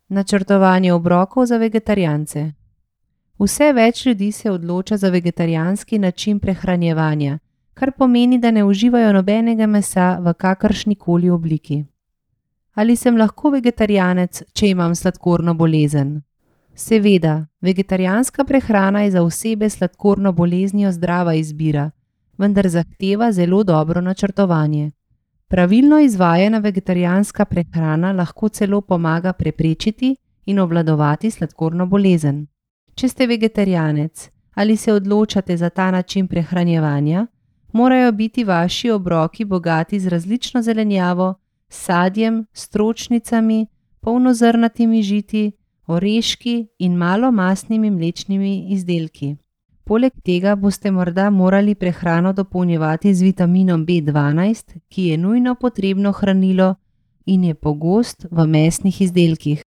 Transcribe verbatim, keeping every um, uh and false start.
Načrtovanje obrokov za vegetarijance. Vse več ljudi se odloča za vegetarijanski način prehranjevanja, kar pomeni, da ne uživajo nobenega mesa v kakršnikoli obliki. Ali sem lahko vegetarijanec, če imam sladkorno bolezen? Seveda, vegetarijanska prehrana je za osebe s sladkorno boleznijo zdrava izbira, vendar zahteva zelo dobro načrtovanje. Pravilno izvajana vegetarijanska prehrana lahko celo pomaga preprečiti in obvladovati sladkorno bolezen. Če ste vegetarijanec ali se odločate za ta način prehranjevanja, morajo biti vaši obroki bogati z različno zelenjavo, sadjem, stročnicami, polnozrnatimi žiti, oreški in malo mastnimi mlečnimi izdelki. Poleg tega boste morda morali prehrano dopolnjevati z vitaminom B dvanajst, ki je nujno potrebno hranilo in je pogost v mesnih izdelkih.